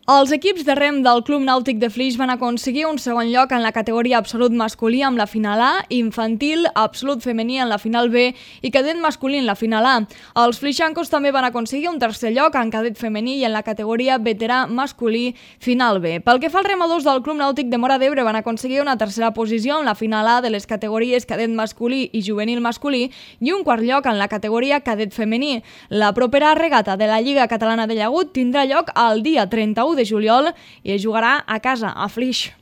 Els equips de rem del Club Nàutic de Flix van aconseguir un segon lloc en la categoria absolut masculí amb la final A, infantil, absolut femení en la final B i cadet masculí en la final A. Els flixancos també van aconseguir un tercer lloc en cadet femení i en la categoria veterà masculí final B. Pel que fa als remadors del Club Nàutic de Móra d'Ebre van aconseguir una tercera posició en la final A de les categories cadet masculí i juvenil masculí i un quart lloc en la categoria cadet femení. La propera regata de la Lliga Catalana de Llagut tindrà lloc el dia 31 de juliol i es jugarà a casa, a Flix.